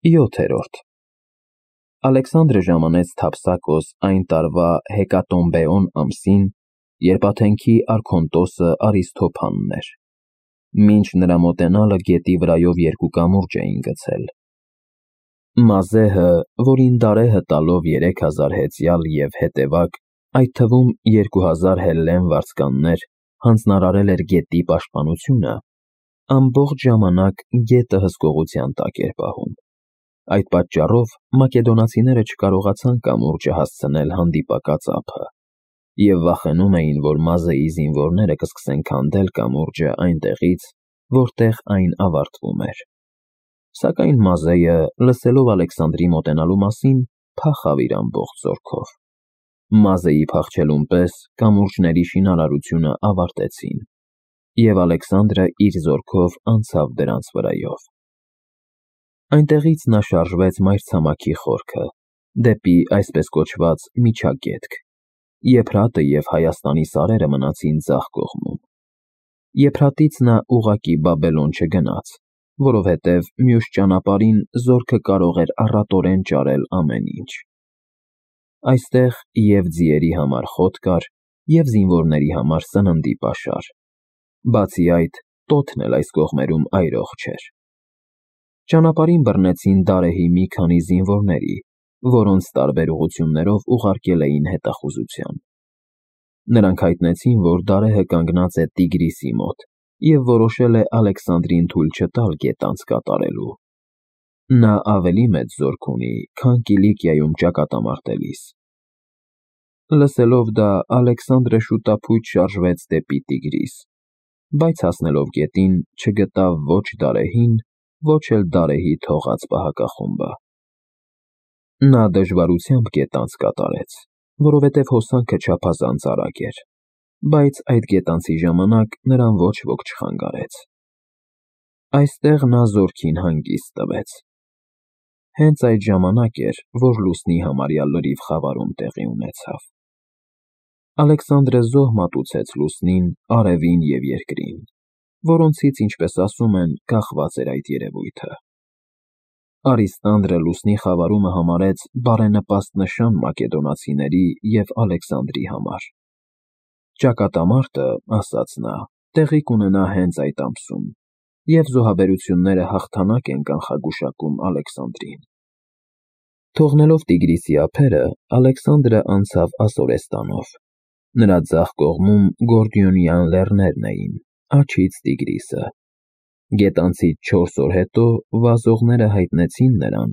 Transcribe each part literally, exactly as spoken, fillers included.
յոթերորդ Ալեքսանդրը ժամանեց Թափսակոս այն տարվա Հեկատոմբեոն ամսին, երբ Աթենքի արքոնտոսը Արիսթոփանն էր։ Մինչ նրա մոտենալը գետի վրայով երկու կամուրջ էին գցել։ Մազեհը, որին Դարեհը տալով երեք հազար հեծյալ և հետևակ, այդ թվում երկու հազար հելլեն վարձկաններ, հանձնարարել էր գետի պաշտպանությունը, ամբողջ ժամանակ գետը հսկողության տակ էր պահում։ Այդ պատճառով մակեդոնացիները չկարողացան կամուրջը հասցնել հանդիպակաց ափը և վախենում էին, որ Մազեի զինվորները կսկսեն քանդել կամուրջը այնտեղից, որտեղ այն ավարտվում էր։ Սակայն Մազեը, լսելով Ալեքսանդրի մոտենալու մասին, փախավ իր ամբողջ զորքով։ Մազեի փախչելուն պես կամուրջների շինարարությունը ավարտեցին, և Ալեքսանդրը իր զորքով անցավ դրանց վրայով։ Այնտեղից նա շարժվեց մայրցամաքի խորքը, դեպի այսպես կոչված Միջագետք, Եփրատը և Հայաստանի սարերը մնացին ձախ կողմում։ Եփրատից նա ուղղակի Բաբելոն չգնաց, որովհետև մյուս ճանապարհին զորքը կարող էր առատորեն ճարել ամեն ինչ։ Այստեղ և ձիերի համար խոտ կար, և զինվորների համար սննդի պաշար։ Բացի այդ, տոթն էլ այս կողմերում այրող չէր։ Ճանապարհին բռնեցին Դարեհի մի քանի զինվորների, որոնց տարբեր ուղղություններով ուղարկել էին հետախուզության։ Նրանք հայտնեցին, որ Դարեհը կանգնած է Տիգրիսի մոտ և որոշել է Ալեքսանդրին թույլ չտալ գետ անց կատարելու։ Նա ավելի մեծ զորք ունի, քան Կիլիկիայում ճակատամարտելիս։ Լսելով դա, Ալեքսանդրը շուտափույթ շարժվեց դեպի Տիգրիս, բայց հասնելով գետին, չգտավ ոչ Դարեհին, ոչ էլ Դարեհի թողած պահակախումբը։ Նա դժվարությամբ գետ անց կատարեց, որովհետև հոսանքը չափազանց արագ էր, բայց այդ գետանցի ժամանակ նրան ոչ ոք չխանգարեց։ Այստեղ նա զորքին հանգիստ տվեց։ Հենց այդ ժամանակ էր, որ լուսնի համարյա լրիվ խավարում տեղի ունեցավ։ Ալեքսանդրը զոհ մատուցեց լուսնին, արևին և երկրին, որոնցից, ինչպես ասում են, կախված էր այդ երևույթը։ Արիստանդրը լուսնի խավարումը համարեց բարենպաստ նշան մակեդոնացիների և Ալեքսանդրի համար։ Ճակատամարտը, ասաց նա, տեղի կունենա հենց այդ ամսում, և զոհաբերությունները հաղթանակ են կանխագուշակում Ալեքսանդրին։ Թողնելով Տիգրիսի ափերը, Ալեքսանդրը անցավ Ասորեստանով։ Նրա ձախ կողմում Գորդիոնյան լեռներն էին, աջից Տիգրիսը։ Գետանցից չորս օր հետո վազողները հայտնեցին նրան,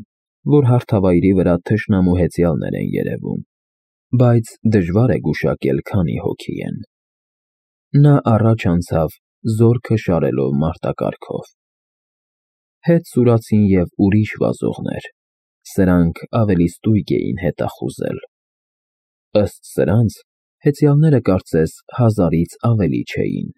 որ հարթավայրի վրա թշնամու հեծյալներ են երևում, բայց դժվար է գուշակել քանի հոգի են։ Նա առաջ անցավ, զորքը շարելով մարտակառքով։ Հետ սուրացին և ուրիշ վազողներ, սրանք ավելի ստույգ էին հետախուզել։ Ըստ սրանց, հեծյալները կարծես հազարից ավելի չէին։